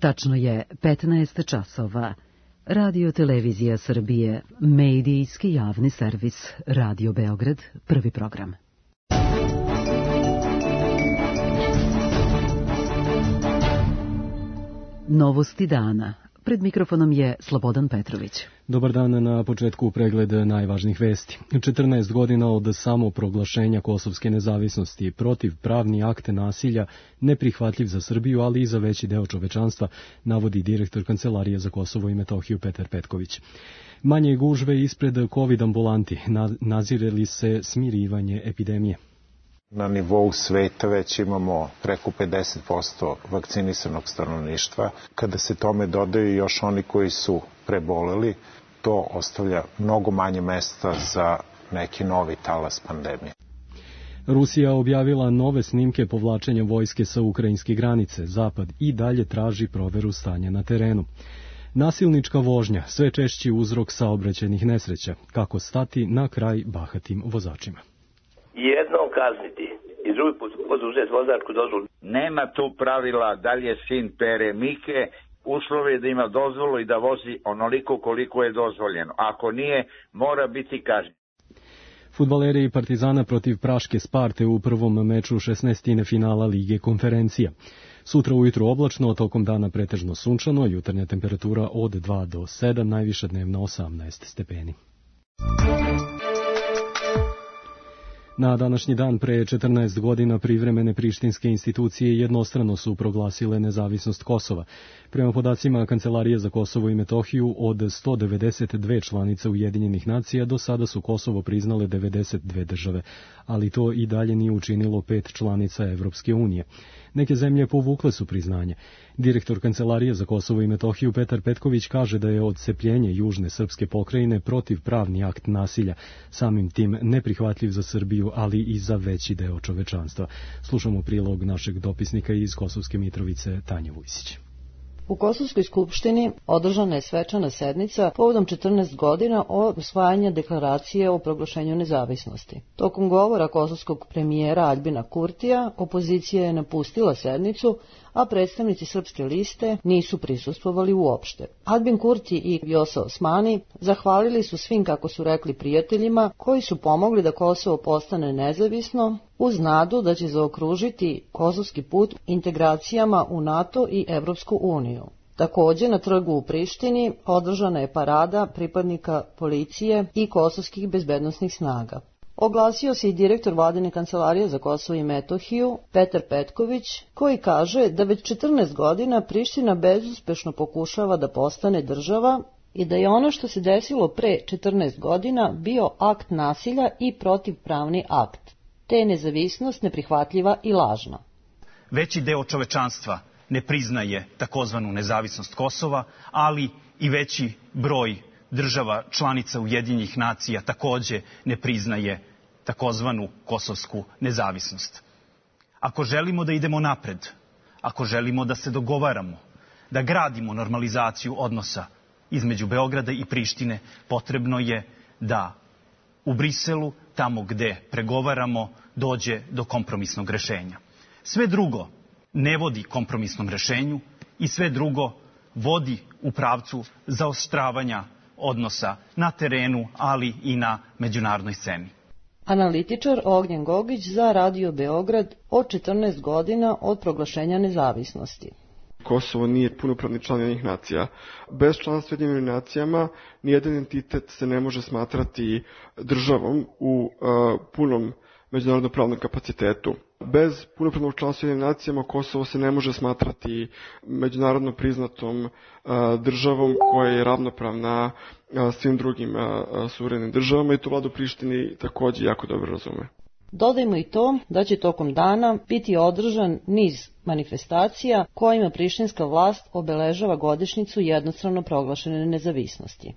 Tačno je 15 časova. Radio Televizija Srbije, medijski javni servis, Radio Beograd, prvi program. Novosti dana. Pred mikrofonom je Slobodan Petrović. Dobar dan, na početku pregled najvažnijih vesti. 14 godina od samoproglašenja kosovske nezavisnosti, protiv pravni akt nasilja, neprihvatljiv za Srbiju, ali i za veći deo čovečanstva, navodi direktor Kancelarije za Kosovo i Metohiju Petar Petković. Manje gužve ispred COVID ambulanti, nazire li se smirivanje epidemije? Na nivou sveta već imamo preko 50% vakcinisanog stanovništva. Kada se tome dodaju još oni koji su preboleli, to ostavlja mnogo manje mesta za neki novi talas pandemije. Rusija objavila nove snimke povlačenja vojske sa ukrajinske granice. Zapad i dalje traži proveru stanja na terenu. Nasilnička vožnja, sve češći uzrok saobraćajnih nesreća. Kako stati na kraj bahatim vozačima? Jednom kazniti i drugi put oduzeti vozačku dozvolu. Nema tu pravila da li je sin Pere Mike, uslov je da ima dozvolu i da vozi onoliko koliko je dozvoljeno. Ako nije, mora biti kažnjen. Fudbaleri Partizana protiv Praške Sparte u prvom meču 16. finala Lige konferencija. Sutra ujutru oblačno, tokom dana pretežno sunčano, jutarnja temperatura od 2 do 7, najviša dnevna 18 stepeni. Na današnji dan pre 14 godina privremene prištinske institucije jednostrano su proglasile nezavisnost Kosova. Prema podacima Kancelarije za Kosovo i Metohiju, od 192 članice Ujedinjenih nacija do sada su Kosovo priznale 92 države, ali to i dalje nije učinilo 5 članica Evropske unije. Neke zemlje povukle su priznanje. Direktor Kancelarije za Kosovo i Metohiju Petar Petković kaže da je odcepljenje južne srpske pokrajine protivpravni akt nasilja, samim tim neprihvatljiv za Srbiju, ali i za veći deo čovečanstva. Slušamo prilog našeg dopisnika iz Kosovske Mitrovice Tanje Vujsić. U Kosovskoj skupštini održana je svečana sednica povodom 14 godina od usvajanja deklaracije o proglašenju nezavisnosti. Tokom govora kosovskog premijera Aljbina Kurtija, opozicija je napustila sednicu, a predstavnici Srpske liste nisu prisustvovali uopšte. Aljbin Kurti i Vjosa Osmani zahvalili su svim, kako su rekli, prijateljima koji su pomogli da Kosovo postane nezavisno, uz nadu da će zaokružiti kosovski put integracijama u NATO i Evropsku uniju. Također, na trgu u Prištini održana je parada pripadnika policije i kosovskih bezbednosnih snaga. Oglasio se i direktor Vladine kancelarije za Kosovo i Metohiju, Petar Petković, koji kaže da već 14 godina Priština bezuspešno pokušava da postane država i da je ono što se desilo pre 14 godina bio akt nasilja i protivpravni akt, te je nezavisnost neprihvatljiva i lažna. Veći deo čovečanstva ne priznaje takozvanu nezavisnost Kosova, ali i veći broj država članica Ujedinjenih nacija takođe ne priznaje takozvanu kosovsku nezavisnost. Ako želimo da idemo napred, ako želimo da se dogovaramo, da gradimo normalizaciju odnosa između Beograda i Prištine, potrebno je da u Briselu, tamo gde pregovaramo, dođe do kompromisnog rešenja. Sve drugo ne vodi kompromisnom rešenju i sve drugo vodi u pravcu zaoštravanja odnosa na terenu, ali i na međunarodnoj sceni. Analitičar Ognjen Gogić za Radio Beograd od 14 godina od proglašenja nezavisnosti. Kosovo nije punopravni član Ujedinjenih nacija. Bez članstva u Ujedinjenim nacijama nijedan entitet se ne može smatrati državom u punom međunarodno pravnom kapacitetu. Bez punopravnog članstva u Ujedinjenim nacijama Kosovo se ne može smatrati međunarodno priznatom državom koja je ravnopravna svim drugim suverenim državama i to vlada u Prištini takođe jako dobro razume. Dodajmo i to da će tokom dana biti održan niz manifestacija kojima prištinska vlast obeležava godišnjicu jednostrano proglašene nezavisnosti.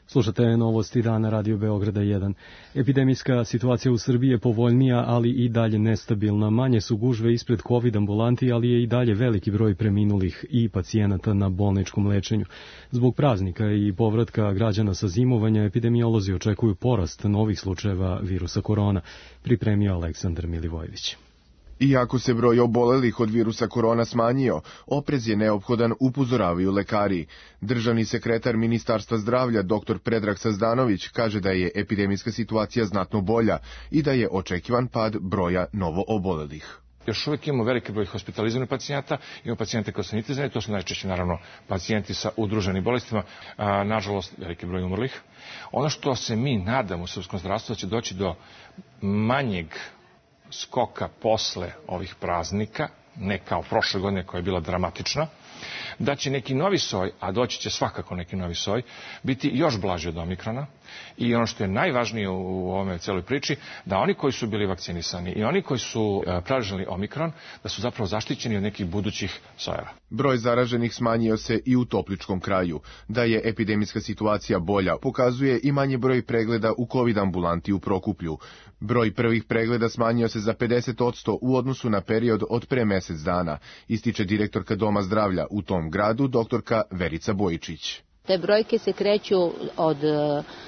Slušate novosti dana Radio Beograda 1. Epidemijska situacija u Srbiji je povoljnija, ali i dalje nestabilna. Manje su gužve ispred COVID ambulanti, ali je i dalje veliki broj preminulih i pacijenata na bolničkom lečenju. Zbog praznika i povratka građana sa zimovanja, epidemiolozi očekuju porast novih slučajeva virusa korona, pripremio Aleksandar Milivojević. Iako se broj obolelih od virusa korona smanjio, oprez je neophodan, upozoravaju lekari. Državni sekretar Ministarstva zdravlja dr. Predrag Sazdanović kaže da je epidemijska situacija znatno bolja i da je očekivan pad broja novo obolelih. Još uvijek imamo veliki broj hospitalizovanih pacijenata, imamo pacijente koji su nitizani, to su najčešće naravno pacijenti sa udruženim bolestima, nažalost veliki broj umrlih. Ono što se mi nadamo u srpskom zdravstvu da će doći do manjeg skoka posle ovih praznika, ne kao prošle godine koja je bila dramatična, da će neki novi soj, a doći će svakako neki novi soj, biti još blaži od omikrona. I ono što je najvažnije u ovome celoj priči, da oni koji su bili vakcinisani i oni koji su preležali omikron, da su zapravo zaštićeni od nekih budućih sojeva. Broj zaraženih smanjio se i u Topličkom kraju. Da je epidemijska situacija bolja, pokazuje i manji broj pregleda u COVID ambulanti u Prokuplju. Broj prvih pregleda smanjio se za 50% u odnosu na period od pre mesec dana, ističe direktorka Doma zdravlja u tom gradu, doktorka Verica Bojičić. Te brojke se kreću od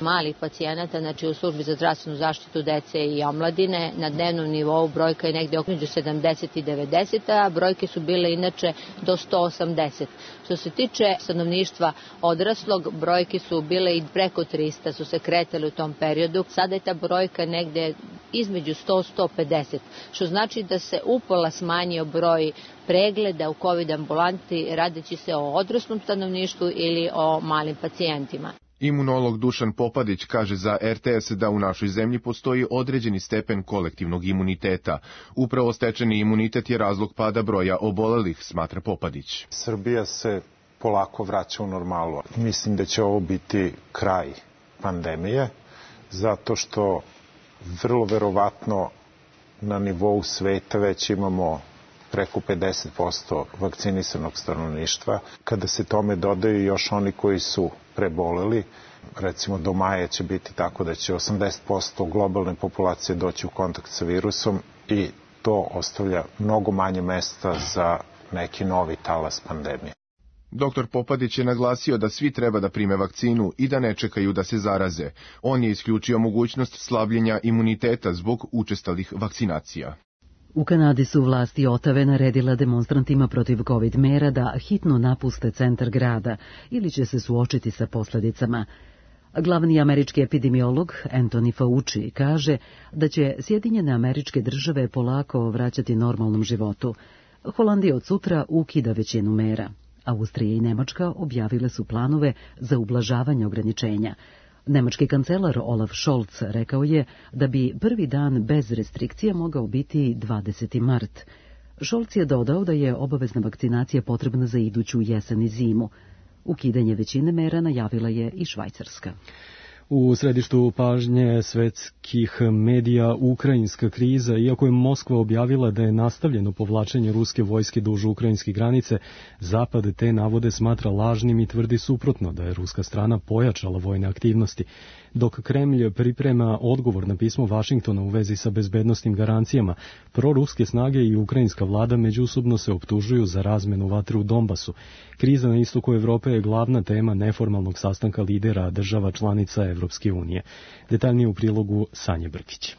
malih pacijenata, znači u službi za zdravstvenu zaštitu dece i omladine. Na dnevnom nivou brojka je negde oko 70 i 90, a brojke su bile inače do 180. Što se tiče stanovništva odraslog, brojke su bile i preko 300, su se kretale u tom periodu. Sada je ta brojka negde između 100-150, što znači da se upola smanjio broj pregleda u COVID ambulanti radeći se o odraslom stanovništvu ili o malim pacijentima. Imunolog Dušan Popadić kaže za RTS da u našoj zemlji postoji određeni stepen kolektivnog imuniteta. Upravo stečeni imunitet je razlog pada broja obolelih, smatra Popadić. Srbija se polako vraća u normalu. Mislim da će ovo biti kraj pandemije, zato što vrlo verovatno na nivou sveta već imamo preko 50% vakcinisanog stanovništva. Kada se tome dodaju još oni koji su preboleli, recimo do maja će biti tako da će 80% globalne populacije doći u kontakt sa virusom i to ostavlja mnogo manje mesta za neki novi talas pandemije. Dr. Popadić je naglasio da svi treba da prime vakcinu i da ne čekaju da se zaraze. On je isključio mogućnost slabljenja imuniteta zbog učestalih vakcinacija. U Kanadi su vlasti Otave naredila demonstrantima protiv COVID mera da hitno napuste centar grada ili će se suočiti sa posledicama. Glavni američki epidemiolog Anthony Fauci kaže da će Sjedinjene Američke Države polako vraćati normalnom životu. Holandija od sutra ukida većinu mera. Austrija i Nemačka objavile su planove za ublažavanje ograničenja. Nemački kancelar Olaf Scholz rekao je da bi prvi dan bez restrikcija mogao biti 20. mart. Scholz je dodao da je obavezna vakcinacija potrebna za iduću jesen i zimu. Ukidanje većine mera najavila je i Švajcarska. U središtu pažnje svetskih medija ukrajinska kriza, iako je Moskva objavila da je nastavljeno povlačenje ruske vojske duž ukrajinske granice, Zapad te navode smatra lažnim i tvrdi suprotno da je ruska strana pojačala vojne aktivnosti, dok Kremlj priprema odgovor na pismo Vašingtona u vezi sa bezbednosnim garancijama. Proruske snage i ukrajinska vlada međusobno se optužuju za razmenu vatre u Donbasu. Kriza na istoku Evrope je glavna tema neformalnog sastanka lidera država članica Evropske unije. Detaljnije u prilogu Sanje Brkić.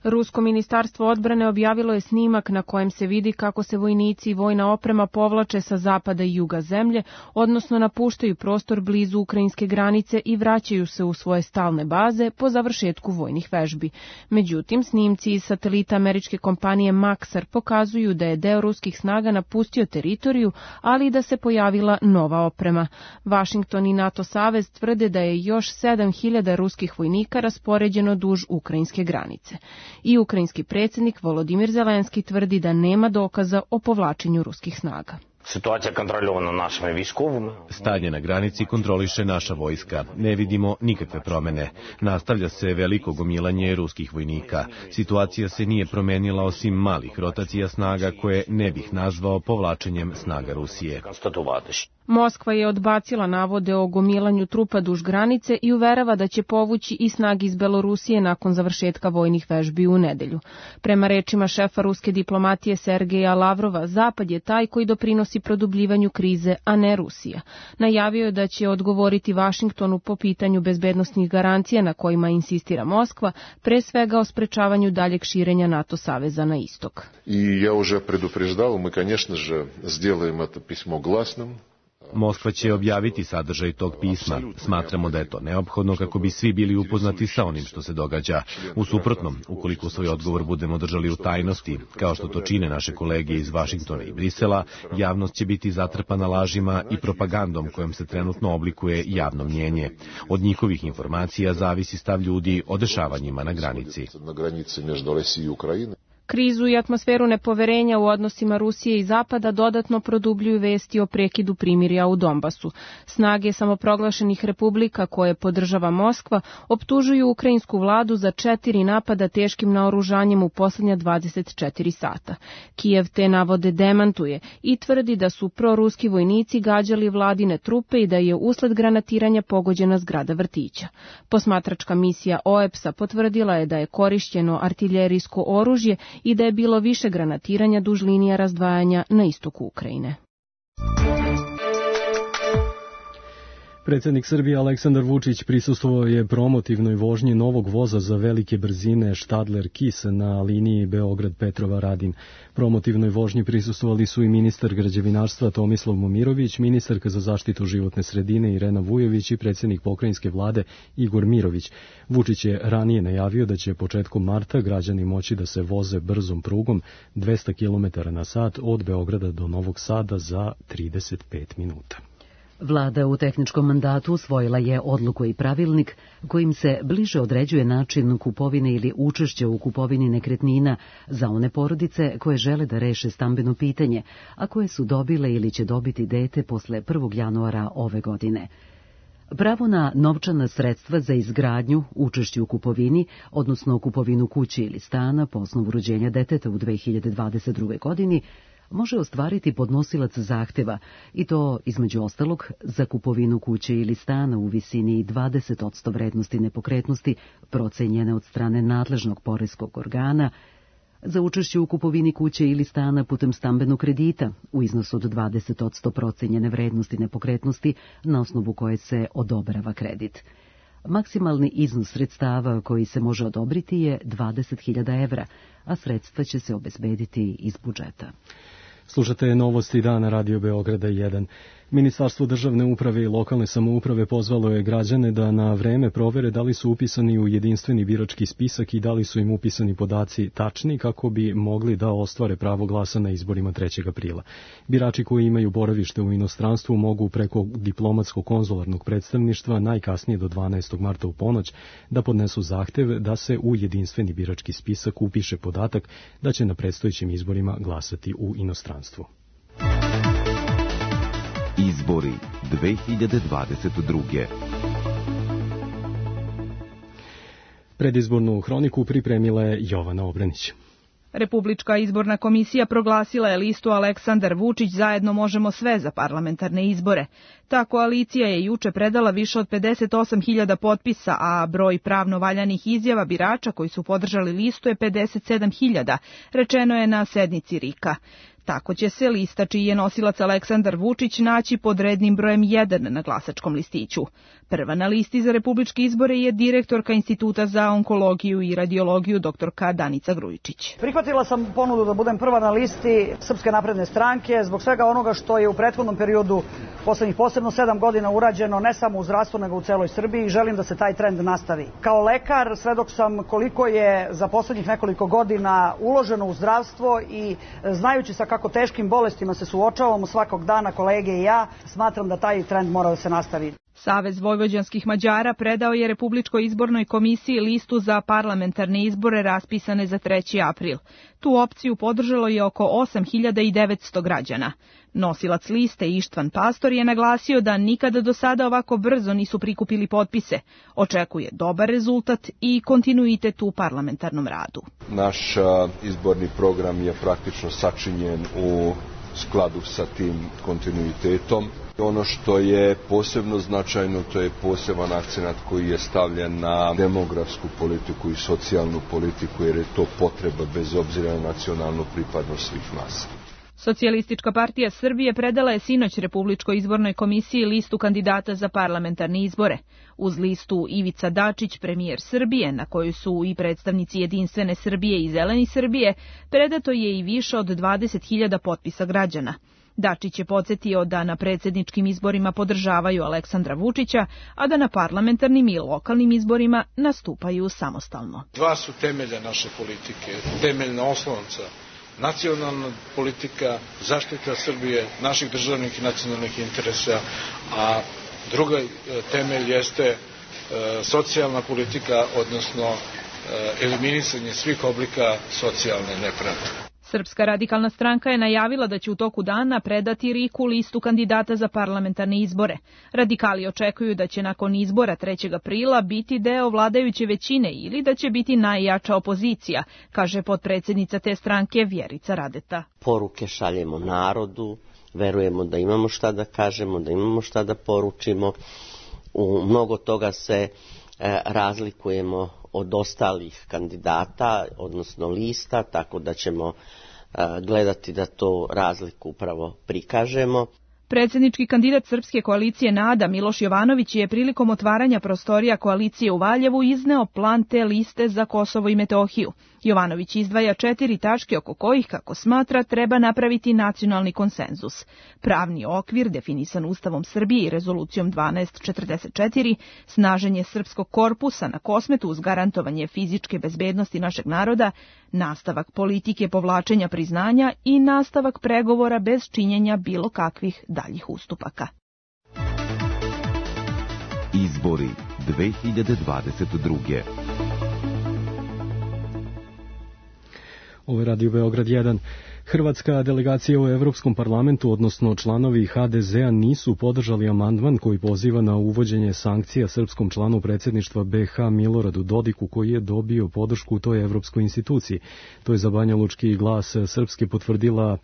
Rusko ministarstvo odbrane objavilo je snimak na kojem se vidi kako se vojnici i vojna oprema povlače sa zapada i juga zemlje, odnosno napuštaju prostor blizu ukrajinske granice i vraćaju se u svoje stalne baze po završetku vojnih vežbi. Međutim, snimci iz satelita američke kompanije Maxar pokazuju da je deo ruskih snaga napustio teritoriju, ali i da se pojavila nova oprema. Vašington i NATO savez tvrde da je još 7.000 ruskih vojnika raspoređeno duž ukrajinske granice. I ukrajinski predsjednik Volodimir Zelenski tvrdi da nema dokaza o povlačenju ruskih snaga. Stanje na granici kontroliše naša vojska. Ne vidimo nikakve promene. Nastavlja se veliko gomilanje ruskih vojnika. Situacija se nije promenila osim malih rotacija snaga koje ne bih nazvao povlačenjem snaga Rusije. Moskva je odbacila navode o gomilanju trupa duž granice i uverava da će povući i snage iz Belorusije nakon završetka vojnih vežbi u nedelju. Prema rečima šefa ruske diplomatije Sergeja Lavrova, Zapad je taj koji doprinosi produbljivanju krize, a ne Rusija. Najavio je da će odgovoriti Vašingtonu po pitanju bezbednosnih garancija na kojima insistira Moskva, pre svega o sprečavanju daljeg širenja NATO saveza na istok. I ja уже предупреждал, мы, конечно же, сделаем это письмо гласным. Moskva će objaviti sadržaj tog pisma. Smatramo da je to neophodno kako bi svi bili upoznati sa onim što se događa. U suprotnom, ukoliko svoj odgovor budemo držali u tajnosti, kao što to čine naše kolege iz Vašingtona i Brisela, javnost će biti zatrpana lažima i propagandom kojom se trenutno oblikuje javno mnjenje. Od njihovih informacija zavisi stav ljudi o dešavanjima na granici. Krizu i atmosferu nepoverenja u odnosima Rusije i Zapada dodatno produbljuju vesti o prekidu primirja u Donbasu. Snage samoproglašenih republika koje podržava Moskva optužuju ukrajinsku vladu za 4 napada teškim naoružanjem u posljednja 24 sata. Kijev te navode demantuje i tvrdi da su proruski vojnici gađali vladine trupe i da je usled granatiranja pogođena zgrada vrtića. Posmatračka misija OEPS-a potvrdila je da je korišćeno artiljerijsko oružje i da je bilo više granatiranja duž linija razdvajanja na istoku Ukrajine. Predsjednik Srbije Aleksandar Vučić prisustvovao je promotivnoj vožnji novog voza za velike brzine Štadler-Kis na liniji Beograd-Petrova-Radin. Promotivnoj vožnji prisustvovali su i ministar građevinarstva Tomislav Momirović, ministarka za zaštitu životne sredine Irena Vujović i predsjednik pokrajinske vlade Igor Mirović. Vučić je ranije najavio da će početkom marta građani moći da se voze brzom prugom 200 km na sat od Beograda do Novog Sada za 35 minuta. Vlada u tehničkom mandatu usvojila je odluku i pravilnik kojim se bliže određuje način kupovine ili učešća u kupovini nekretnina za one porodice koje žele da reše stambeno pitanje, a koje su dobile ili će dobiti dete posle 1. januara ove godine. Pravo na novčana sredstva za izgradnju, učešće u kupovini, odnosno kupovinu kuće ili stana po osnovu rođenja deteta u 2022. godini, može ostvariti podnosilac zahteva, i to, između ostalog, za kupovinu kuće ili stana u visini 20% vrednosti nepokretnosti procenjene od strane nadležnog poreskog organa, za učešće u kupovini kuće ili stana putem stambenog kredita u iznosu od 20% procenjene vrednosti nepokretnosti na osnovu koje se odobrava kredit. Maksimalni iznos sredstava koji se može odobriti je 20.000 evra, a sredstva će se obezbediti iz budžeta. Slušate novosti dana Radio Beograda 1. Ministarstvo državne uprave i lokalne samouprave pozvalo je građane da na vreme provere da li su upisani u jedinstveni birački spisak i da li su im upisani podaci tačni kako bi mogli da ostvare pravo glasa na izborima 3. aprila. Birači koji imaju boravište u inostranstvu mogu preko diplomatsko-konzularnog predstavništva najkasnije do 12. marta u ponoć da podnesu zahtev da se u jedinstveni birački spisak upiše podatak da će na predstojećim izborima glasati u inostranstvu. Izbori 2022. Predizbornu hroniku pripremila je Jovana Obranić. Republička izborna komisija proglasila je listu Aleksandar Vučić zajedno možemo sve za parlamentarne izbore. Ta koalicija je juče predala više od 58.000 potpisa, a broj pravno valjanih izjava birača koji su podržali listu je 57.000, rečeno je na sednici RIK-a. Tako će se lista čiji je nosilac Aleksandar Vučić naći pod rednim brojem 1 na glasačkom listiću. Prva na listi za republičke izbore je direktorka Instituta za onkologiju i radiologiju doktorka Danica Grujičić. Prihvatila sam ponudu da budem prva na listi Srpske napredne stranke zbog svega onoga što je u prethodnom periodu poslednjih posebno 7 godina urađeno ne samo u zdravstvu nego u celoj Srbiji i želim da se taj trend nastavi. Kao lekar svedok sam koliko je za poslednjih nekoliko godina uloženo u zdravstvo i znajući sa kako teškim bolestima se suočavamo svakog dana kolege i ja, smatram da taj trend mora da se nastavi. Savez vojvođanskih Mađara predao je Republičkoj izbornoj komisiji listu za parlamentarne izbore raspisane za 3. april. Tu opciju podržalo je oko 8.900 građana. Nosilac liste Ištvan Pastor je naglasio da nikada do sada ovako brzo nisu prikupili potpise. Očekuje dobar rezultat i kontinuitet u parlamentarnom radu. Naš izborni program je praktično sačinjen u skladu sa tim kontinuitetom. Ono što je posebno značajno, to je poseban akcenat koji je stavljen na demografsku politiku i socijalnu politiku, jer je to potreba bez obzira na nacionalnu pripadnost svih nas. Socijalistička partija Srbije predala je sinoć Republičkoj izbornoj komisiji listu kandidata za parlamentarne izbore. Uz listu Ivica Dačić, premijer Srbije, na kojoj su i predstavnici Jedinstvene Srbije i Zeleni Srbije, predato je i više od 20.000 potpisa građana. Dačić je podsjetio da na predsjedničkim izborima podržavaju Aleksandra Vučića, a da na parlamentarnim i lokalnim izborima nastupaju samostalno. Dva su temelja naše politike, temeljna oslonca. Nacionalna politika, zaštita Srbije, naših državnih i nacionalnih interesa, a druga temelj jeste socijalna politika, odnosno eliminisanje svih oblika socijalne nepravde. Srpska radikalna stranka je najavila da će u toku dana predati RIK-u listu kandidata za parlamentarne izbore. Radikali očekuju da će nakon izbora 3. aprila biti deo vladajuće većine ili da će biti najjača opozicija, kaže potpredsjednica te stranke Vjerica Radeta. Poruke šaljemo narodu, verujemo da imamo šta da kažemo, da imamo šta da poručimo. U mnogo toga se razlikujemo od ostalih kandidata, odnosno lista, tako da ćemo gledati da to razliku upravo prikažemo. Predsjednički kandidat Srpske koalicije NADA Miloš Jovanović je prilikom otvaranja prostorija koalicije u Valjevu izneo plan te liste za Kosovo i Metohiju. Jovanović izdvaja 4 tačke oko kojih, kako smatra, treba napraviti nacionalni konsenzus. Pravni okvir, definisan Ustavom Srbije i rezolucijom 1244, snaženje srpskog korpusa na Kosmetu uz garantovanje fizičke bezbednosti našeg naroda, nastavak politike povlačenja priznanja i nastavak pregovora bez činjenja bilo kakvih daljih ustupaka. Izbori 2022. Ovo je Radio Beograd 1. Hrvatska delegacija u Evropskom parlamentu, odnosno članovi HDZ-a, nisu podržali amandman koji poziva na uvođenje sankcija srpskom članu predsjedništva BiH Miloradu Dodiku, koji je dobio podršku u toj evropskoj instituciji. To je za Banjalučki glas Srpske potvrdila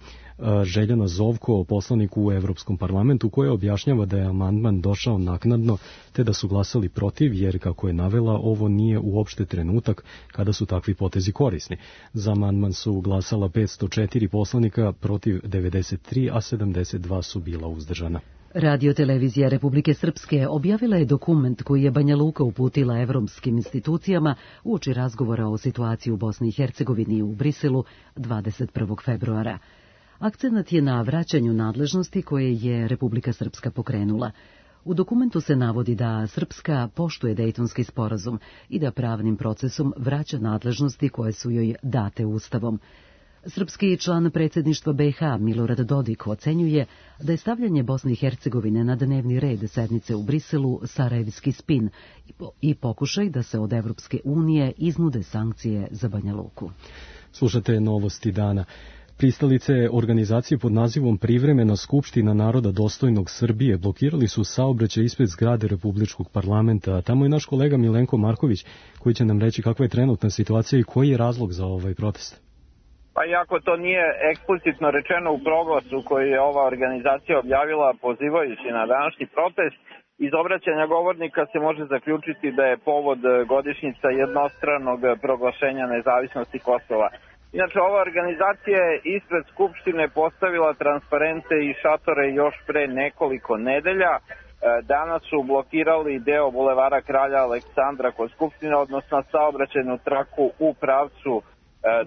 Željana Zovko, poslanik u Evropskom parlamentu, koja objašnjava da je amandman došao naknadno, te da su glasali protiv, jer, kako je navela, ovo nije uopšte trenutak kada su takvi potezi korisni. Za amandman su glasala 504 poslanika, protiv 93, a 72 su bila uzdržana. Radio-televizija Republike Srpske objavila je dokument koji je Banja Luka uputila evropskim institucijama uoči razgovora o situaciji u Bosni i Hercegovini u Briselu 21. februara. Akcenat je na vraćanju nadležnosti koje je Republika Srpska pokrenula. U dokumentu se navodi da Srpska poštuje Dejtonski sporazum i da pravnim procesom vraća nadležnosti koje su joj date Ustavom. Srpski član predsjedništva BiH Milorad Dodik ocenjuje da je stavljanje Bosne i Hercegovine na dnevni red sednice u Briselu sarajevski spin i pokušaj da se od Evropske unije iznude sankcije za Banja Luku. Slušate novosti dana. Pristalice organizacije pod nazivom Privremena skupština naroda dostojnog Srbije blokirali su saobraćaj ispred zgrade Republičkog parlamenta. Tamo je naš kolega Milenko Marković koji će nam reći kakva je trenutna situacija i koji je razlog za ovaj protest. Pa iako to nije eksplicitno rečeno u proglasu koji je ova organizacija objavila pozivajući na današnji protest, iz obraćanja govornika se može zaključiti da je povod godišnjica jednostranog proglašenja nezavisnosti Kosova. Inače, ova organizacija je ispred Skupštine postavila transparente i šatore još pre nekoliko nedelja. Danas su blokirali deo bulevara Kralja Aleksandra kod Skupštine, odnosno saobraćajnu traku u pravcu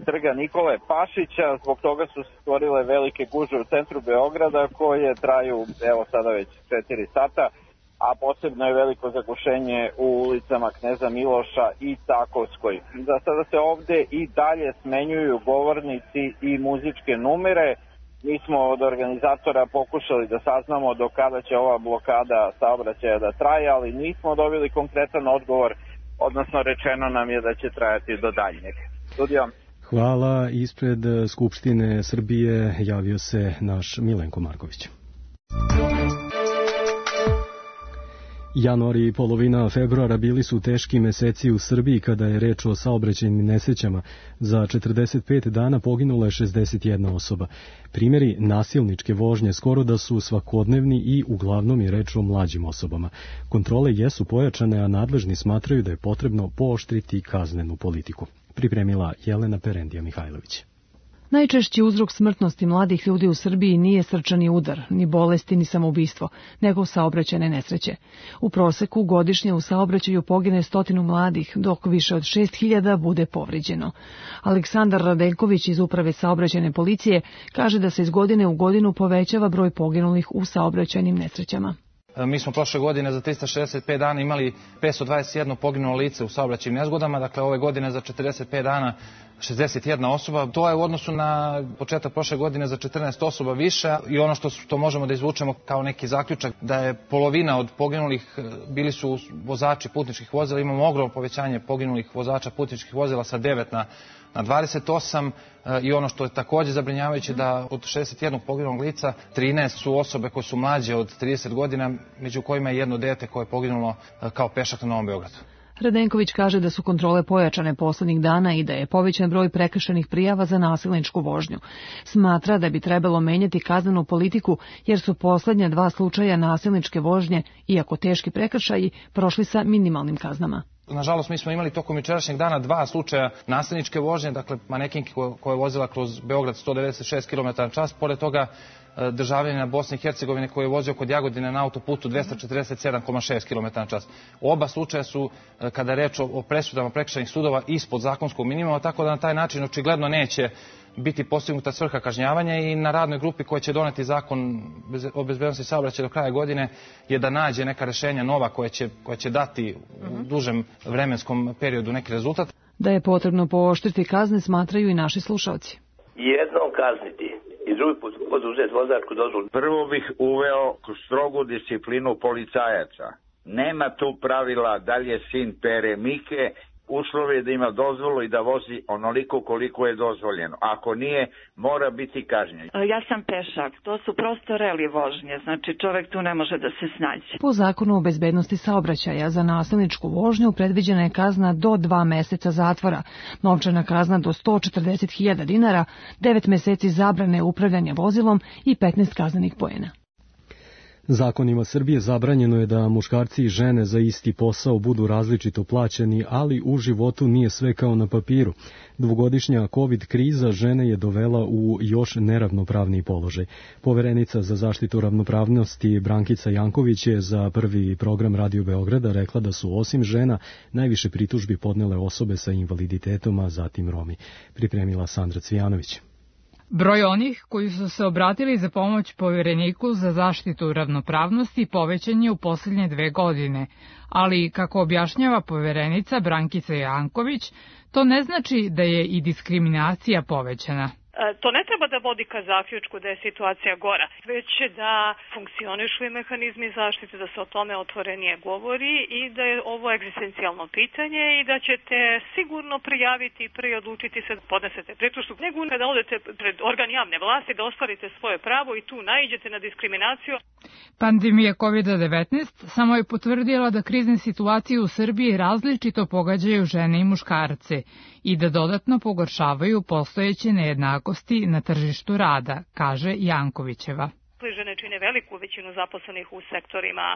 trga Nikole Pašića. Zbog toga su stvorile velike gužve u centru Beograda koje traju, evo sada već 4 sata, a posebno je veliko zagušenje u ulicama Kneza Miloša i Takovskoj. Za sada se ovde i dalje smenjuju govornici i muzičke numere. Mi smo od organizatora pokušali da saznamo do kada će ova blokada saobraćaja da traje, ali nismo dobili konkretan odgovor, odnosno rečeno nam je da će trajati do daljnjeg. Studio. Hvala. Ispred Skupštine Srbije javio se naš Milenko Marković. Januar i polovina februara bili su teški meseci u Srbiji kada je reč o saobraćajnim nesrećama. Za 45 dana poginula je 61 osoba. Primjeri nasilničke vožnje skoro da su svakodnevni i uglavnom je reč o mlađim osobama. Kontrole jesu pojačane, a nadležni smatraju da je potrebno pooštriti kaznenu politiku. Pripremila Jelena Perendija Mihajlović. Najčešći uzrok smrtnosti mladih ljudi u Srbiji nije srčani udar, ni bolesti, ni samoubistvo, nego saobraćajne nesreće. U proseku godišnje u saobraćaju pogine 100 mladih, dok više od 6.000 bude povređeno. Aleksandar Radenković iz Uprave saobraćajne policije kaže da se iz godine u godinu povećava broj poginulih u saobraćajnim nesrećama. Mi smo prošle godine za 365 dana imali 521 poginulo lice u saobraćajnim nezgodama, dakle ove godine za 45 dana 61 osoba. To je u odnosu na početak prošle godine za 14 osoba više i ono što možemo da izvučemo kao neki zaključak da je polovina od poginulih bili su vozači putničkih vozila. Imamo ogromno povećanje poginulih vozača putničkih vozila sa 9 na 28 i ono što je također zabrinjavajuće da od 61 poginulog lica 13 su osobe koje su mlađe od 30 godina, među kojima je jedno dete koje je poginulo kao pešak na Novom Beogradu. Radenković kaže da su kontrole pojačane poslednjih dana i da je povećan broj prekršajnih prijava za nasilničku vožnju. Smatra da bi trebalo menjati kaznenu politiku jer su poslednja 2 slučaja nasilničke vožnje, iako teški prekršaji, prošli sa minimalnim kaznama. Nažalost, mi smo imali tokom jučerašnjeg dana 2 slučaja nasilničke vožnje, dakle manekinke koja je vozila kroz Beograd 196 km/h, pored toga državljanina Bosne i Hercegovine koji je vozio kod Jagodine na autoputu 247,6 km/h. Oba slučaja su, kada je reč o presudama prekršajnih sudova, ispod zakonskog minimuma, tako da na taj način očigledno neće biti postignuta svrha kažnjavanja i na radnoj grupi koja će doneti zakon o bezbednosti saobraćaja do kraja godine je da nađe neka rešenja nova koja će dati u dužem vremenskom periodu neki rezultat. Da je potrebno pooštriti kazne smatraju i naši slušalci. Jednom kazniti i drugi put oduzeti vozačku dozvolu. Prvo bih uveo strogu disciplinu policajaca. Nema tu pravila da li je sin Pere Mike, uslov je da ima dozvolu i da vozi onoliko koliko je dozvoljeno. Ako nije, mora biti kažnjen. Ja sam pešak, to su prosto reli vožnje, znači čovek tu ne može da se snađe. Po zakonu o bezbednosti saobraćaja za nasilničku vožnju predviđena je kazna do 2 meseca zatvora, novčana kazna do 140.000 dinara, 9 meseci zabrane upravljanja vozilom i 15 kaznenih poena. Zakonima Srbije zabranjeno je da muškarci i žene za isti posao budu različito plaćeni, ali u životu nije sve kao na papiru. Dvogodišnja COVID kriza žene je dovela u još neravnopravni položaj. Poverenica za zaštitu ravnopravnosti Brankica Janković je za Prvi program Radio Beograda rekla da su osim žena najviše pritužbi podnele osobe sa invaliditetom, a zatim Romi. Pripremila Sandra Cvijanović. Broj onih koji su se obratili za pomoć Povereniku za zaštitu ravnopravnosti povećan je u posljednje 2 godine, ali, kako objašnjava Poverenica Brankica Janković, to ne znači da je i diskriminacija povećana. To ne treba da vodi ka zaključku da je situacija gora, već da funkcionišu i mehanizmi zaštite, da se o tome otvorenije govori i da je ovo egzistencijalno pitanje i da ćete sigurno prijaviti i prije odlučiti se da podnesete pritužbu, nego kada odete pred organ javne vlasti da ostvarite svoje pravo i tu naiđete na diskriminaciju. Pandemija COVID-19 samo je potvrdila da krizne situacije u Srbiji različito pogađaju žene i muškarce i da dodatno pogoršavaju postojeće nejednakosti na tržištu rada, kaže Jankovićeva. Žene čine veliku većinu zaposlenih u sektorima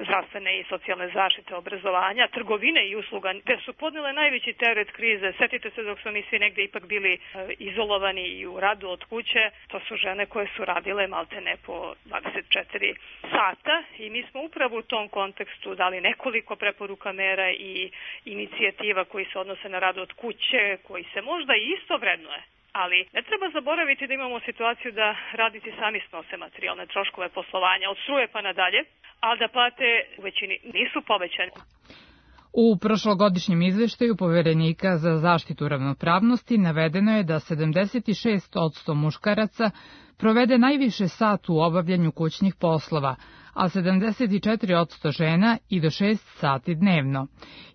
zdravstvene i socijalne zaštite, obrazovanja, trgovine i usluga, gde su podnele najveći teret krize. Setite se dok su oni svi negde ipak bili izolovani i u radu od kuće, to su žene koje su radile maltene po 24 sata i mi smo upravo u tom kontekstu dali nekoliko preporuka mera i inicijativa koji se odnose na rad od kuće, koji se možda i isto vrednuje. Ali ne treba zaboraviti da imamo situaciju da radnici sami snose materijalne troškove poslovanja od struje pa nadalje, ali da plate u većini nisu povećane. U prošlogodišnjem izveštaju Poverenika za zaštitu ravnopravnosti navedeno je da 76% muškaraca provede najviše sat u obavljanju kućnih poslova, a 74% žena i do 6 sati dnevno.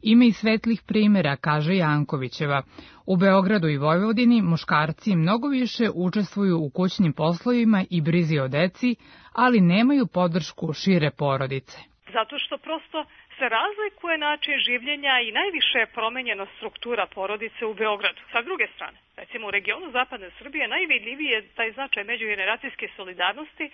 Ima i svetlih primjera, kaže Jankovićeva. U Beogradu i Vojvodini muškarci mnogo više učestvuju u kućnim poslovima i brizi o deci, ali nemaju podršku šire porodice. Zato što prosto se razlikuje način življenja i najviše je promenjena struktura porodice u Beogradu. Sa druge strane, recimo u regionu zapadne Srbije najvidljiviji je taj značaj međugeneracijske solidarnosti,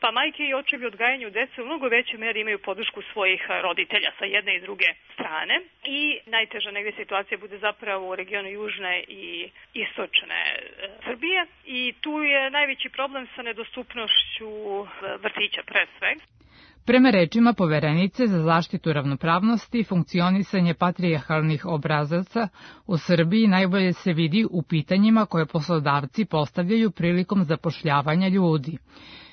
pa majke i očevi odgajanju dece u mnogo većoj meri imaju podršku svojih roditelja sa jedne i druge strane. I najteža negdje situacija bude zapravo u regionu južne i istočne Srbije i tu je najveći problem sa nedostupnošću vrtića pre svega. Prema rečima poverenice za zaštitu ravnopravnosti, funkcionisanje patrijarhalnih obrazaca u Srbiji najbolje se vidi u pitanjima koje poslodavci postavljaju prilikom zapošljavanja ljudi.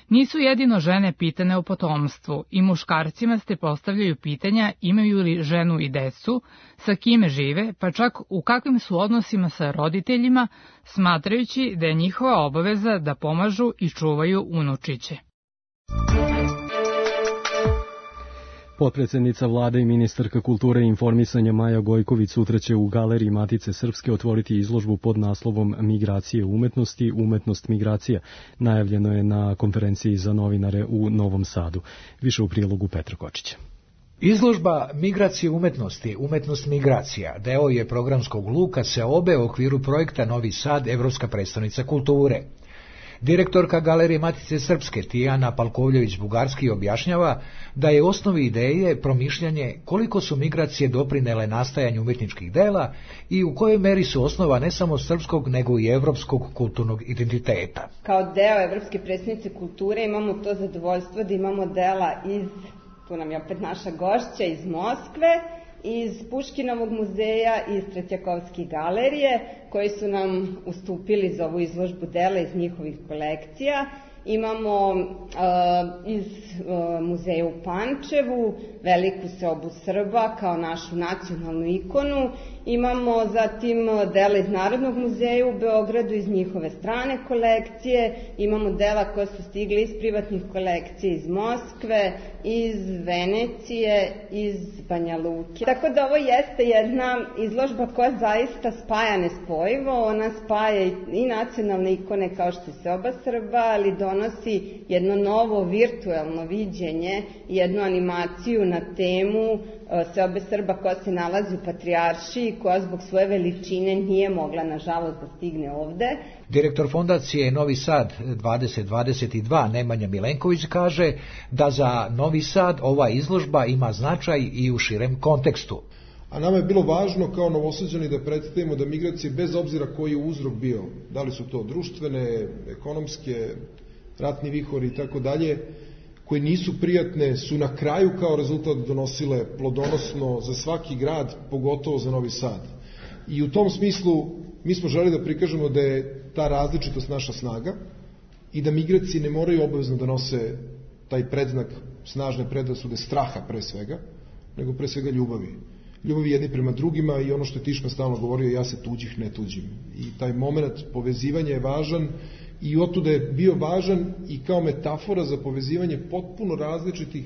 Nisu jedino žene pitane o potomstvu, i muškarcima se postavljaju pitanja imaju li ženu i decu, sa kime žive, pa čak u kakvim su odnosima sa roditeljima, smatrajući da je njihova obaveza da pomažu i čuvaju unučiće. Potpredsednica vlade i ministarka kulture i informisanja Maja Gojković sutra će u Galeriji Matice Srpske otvoriti izložbu pod naslovom Migracije umetnosti, umetnost migracija. Najavljeno je na konferenciji za novinare u Novom Sadu. Više u prilogu Petra Kočića. Izložba Migracije umetnosti, umetnost migracija, deo je programskog luka Seobe u okviru projekta Novi Sad, Evropska prestonica kulture. Direktorka Galerije Matice Srpske Tijana Palkovljević-Bugarski objašnjava da je osnovi ideje promišljanje koliko su migracije doprinele nastajanju umetničkih dela i u kojoj meri su osnova ne samo srpskog nego i evropskog kulturnog identiteta. Kao deo Evropske prestonice kulture imamo to zadovoljstvo da imamo dela iz, tu nam je opet naša gošća, iz Moskve, iz Puškinovog muzeja i iz Tretjakovske galerije, koji su nam ustupili za ovu izložbu dela iz njihovih kolekcija. Imamo iz muzeja u Pančevu veliku seobu Srba kao našu nacionalnu ikonu. Imamo zatim dela iz Narodnog muzeja u Beogradu iz njihove strane kolekcije. Imamo dela koja su stigli iz privatnih kolekcija iz Moskve, iz Venecije, iz Banja Luke. Tako da ovo jeste jedna izložba koja zaista spaja nespojivo. Ona spaja i nacionalne ikone kao što je seoba Srba, ali donosi jedno novo virtuelno viđenje, jednu animaciju na temu seobe Srba koja se nalazi u Patrijaršiji, koja zbog svoje veličine nije mogla, nažalost, da stigne ovde. Direktor fondacije Novi Sad 2022 Nemanja Milenković kaže da za Novi Sad ova izložba ima značaj i u širem kontekstu. A nama je bilo važno kao Novosađani da predstavimo da migracije, bez obzira koji je uzrok bio, da li su to društvene, ekonomske, ratni vihori i tako dalje, koje nisu prijatne, su na kraju kao rezultat donosile plodonosno za svaki grad, pogotovo za Novi Sad. I u tom smislu mi smo želeli da prikažemo da je ta različitost naša snaga i da migracije ne moraju obavezno da nose taj predznak snažne predrasude straha pre svega, nego pre svega ljubavi. Ljubavi jedni prema drugima i ono što je Tišman stalno govorio, ja se tuđih ne tuđim. I taj moment povezivanja je važan i otuda je bio važan i kao metafora za povezivanje potpuno različitih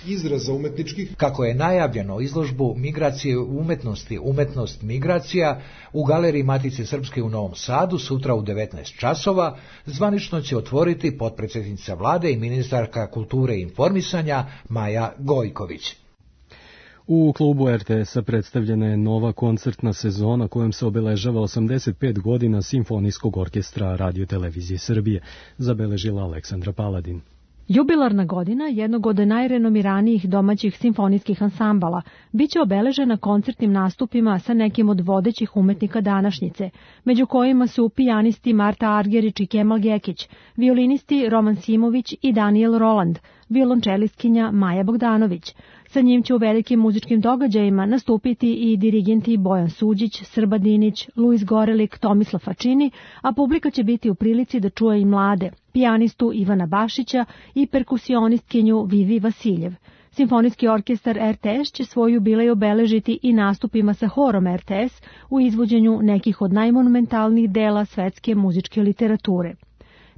izraza umetničkih. Kako je najavljeno, izložbu Migracije umetnosti, umetnost migracija u Galeriji Matice Srpske u Novom Sadu sutra u 19 časova zvanično će otvoriti potpredsednica vlade i ministarka kulture i informisanja Maja Gojković. U klubu RTS-a predstavljena je nova koncertna sezona kojom se obeležava 85 godina Simfonijskog orkestra Radio-televizije Srbije, zabeležila Aleksandra Paladin. Jubilarna godina jednog od najrenomiranijih domaćih simfonijskih ansambala biće obeležena koncertnim nastupima sa nekim od vodećih umetnika današnjice, među kojima su pijanisti Marta Argerić i Kemal Gekić, violinisti Roman Simović i Daniel Roland, violončelistkinja Maja Bogdanović. Sa njim će u velikim muzičkim događajima nastupiti i dirigenti Bojan Suđić, Srba Dinić, Luis Gorelik, Tomislav Fačini, a publika će biti u prilici da čuje i mlade, pijanistu Ivana Bašića i perkusionistkinju Vivi Vasiljev. Simfonijski orkestar RTS će svoj jubilej obeležiti i nastupima sa horom RTS u izvođenju nekih od najmonumentalnijih dela svetske muzičke literature.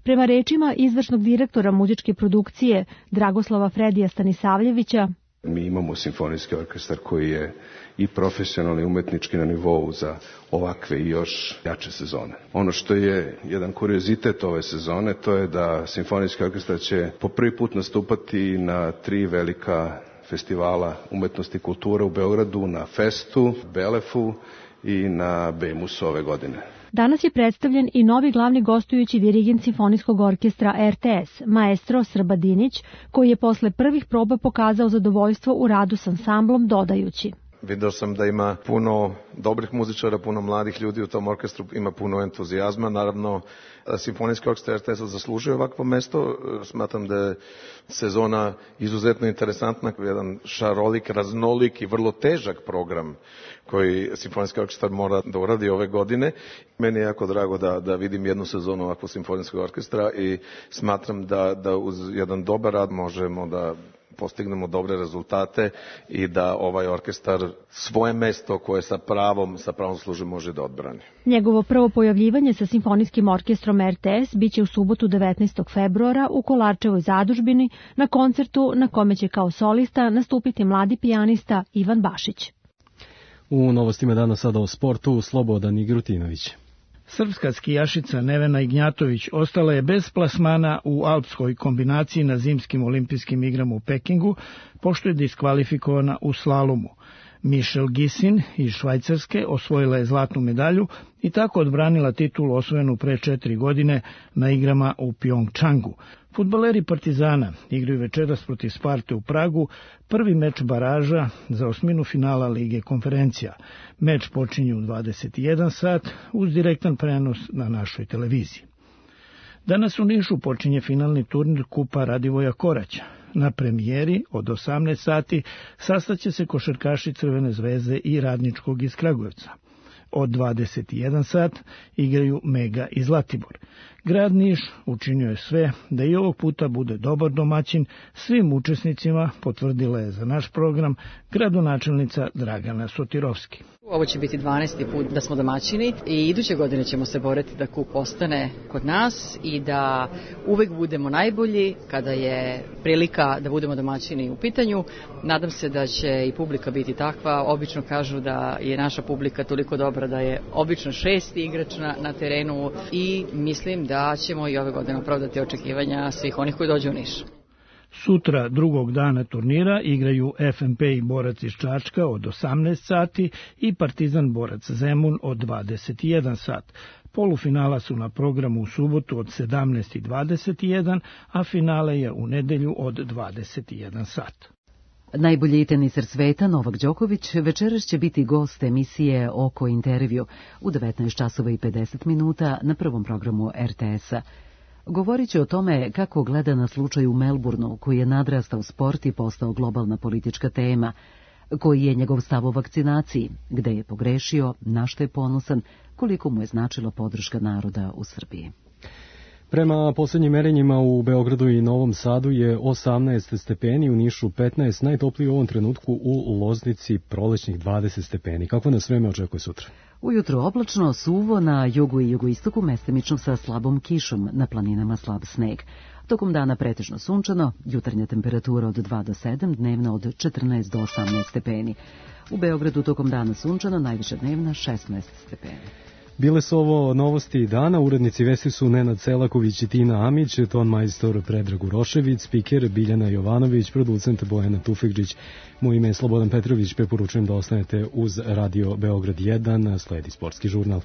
Prema rečima izvršnog direktora muzičke produkcije Dragoslava Fredija Stanisavljevića, mi imamo simfonijski orkestar koji je i profesionalni umetnički na nivou za ovakve i još jače sezone. Ono što je jedan kuriozitet ove sezone, to je da simfonijski orkestar će po prvi put nastupati na 3 velika festivala umetnosti i kulture u Beogradu, na Festu, Belefu i na Bemusu ove godine. Danas je predstavljen i novi glavni gostujući dirigent Simfonijskog orkestra RTS, maestro Srbadinić, koji je posle prvih proba pokazao zadovoljstvo u radu s ansamblom, dodajući: Video sam da ima puno dobrih muzičara, puno mladih ljudi u tom orkestru, ima puno entuzijazma. Naravno, Simfonijski orkestar RTS zaslužuje ovakvo mesto. Smatram da je sezona izuzetno interesantna, jedan šarolik, raznolik i vrlo težak program koji Simfonijski orkestar mora da uradi ove godine. Meni je jako drago da vidim jednu sezonu ovakvog Simfonijskog orkestra i smatram da uz jedan dobar rad možemo da postignemo dobre rezultate i da ovaj orkestar svoje mesto koje sa pravom služi može da odbrani. Njegovo prvo pojavljivanje sa Simfonijskim orkestrom RTS biće u subotu 19. februara u Kolarčevoj zadužbini na koncertu na kome će kao solista nastupiti mladi pijanista Ivan Bašić. U novostima dana sada o sportu Slobodan Igrutinović. Srpska skijašica Nevena Ignjatović ostala je bez plasmana u alpskoj kombinaciji na zimskim olimpijskim igrama u Pekingu, pošto je diskvalifikovana u slalomu. Michelle Gisin iz Švajcarske osvojila je zlatnu medalju i tako odbranila titulu osvojenu pre 4 godine na igrama u Pjongčangu. Fudbaleri Partizana igraju večeras protiv Sparte u Pragu, prvi meč baraža za osminu finala Lige konferencija. Meč počinje u 21 sat uz direktan prenos na našoj televiziji. Danas u Nišu počinje finalni turnir Kupa Radivoja Koraća. Na premijeri od 18 sati sastaće se košarkaši Crvene zvezde i Radničkog iz Kragujevca. Od 21 sat igraju Mega i Zlatibor. Grad Niš učinio je sve da i ovog puta bude dobar domaćin svim učesnicima, potvrdila je za naš program gradonačelnica Dragana Sotirovski. Ovo će biti 12. put da smo domaćini i iduće godine ćemo se boriti da kup ostane kod nas i da uvek budemo najbolji kada je prilika da budemo domaćini u pitanju. Nadam se da će i publika biti takva. Obično kažu da je naša publika toliko dobra da je obično 6. igrač na terenu i mislim da ćemo i ove godine opravdati očekivanja svih onih koji dođu u Niš. Sutra, drugog dana turnira, igraju FNP i Borac iz Čačka od 18 sati i Partizan Borac Zemun od 21 sat. Polufinala su na programu u subotu od 17:21, a finale je u nedelju od 21 sat. Najbolji teniser sveta Novak Đoković večeras će biti gost emisije Oko intervju u 19:50 na prvom programu RTS-a. Govorit će o tome kako gleda na slučaj u Melbourneu, koji je nadrastao sport i postao globalna politička tema, koji je njegov stav o vakcinaciji, gde je pogrešio, na što je ponosan, koliko mu je značila podrška naroda u Srbiji. Prema poslednjim merenjima u Beogradu i Novom Sadu je 18 stepeni, u Nišu 15, najtopliji u ovom trenutku u Loznici prolećnih 20 stepeni. Kako nas vreme očekuje sutra? Ujutro oblačno, suvo, na jugu i jugoistoku mestimično sa slabom kišom, na planinama slab sneg. Tokom dana pretežno sunčano, jutarnja temperatura od 2 do 7, dnevna od 14 do 18 stepeni. U Beogradu tokom dana sunčano, najviša dnevna 16 stepeni. Bile su ovo novosti dana, urednici vesti su Nenad Selaković i Tina Amić, ton majstor Predrag Urošević, spiker Biljana Jovanović, producent Bojana Tufekđić. Moje ime je Slobodan Petrović, preporučujem da ostanete uz Radio Beograd 1, sledi sportski žurnal.